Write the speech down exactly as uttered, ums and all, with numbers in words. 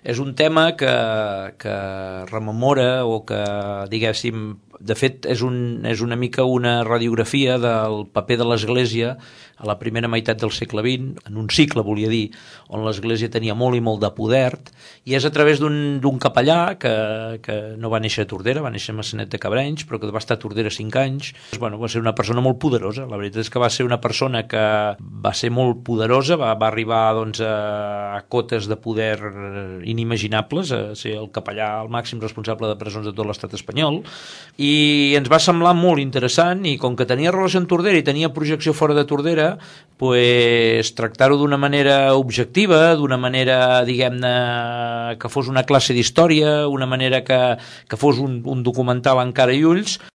és un tema que, que rememora o que, diguéssim, de fet és, un, és una mica una radiografia del paper de l'Església a la primera meitat del segle vint, en un cicle, volia dir, on l'Església tenia molt i molt de poder, i és a través d'un capellà que, que no va néixer a Tordera, va néixer a Maçanet de Cabrenys, però que va estar a Tordera cinc anys. Bueno, va ser una persona molt poderosa, la veritat és que va ser una persona que va ser molt poderosa, va, va arribar doncs, a, a cotes de poder inimaginables, a ser el capellà, el màxim responsable de presons de tot l'estat espanyol, i ens va semblar molt interessant, i com que tenia relació amb Tordera i tenia projecció fora de Tordera, pues, tractar-ho d'una manera objectiva, d'una manera, diguem-ne, que fos una classe d'història, una manera que, que fos un, un documental en cara i ulls,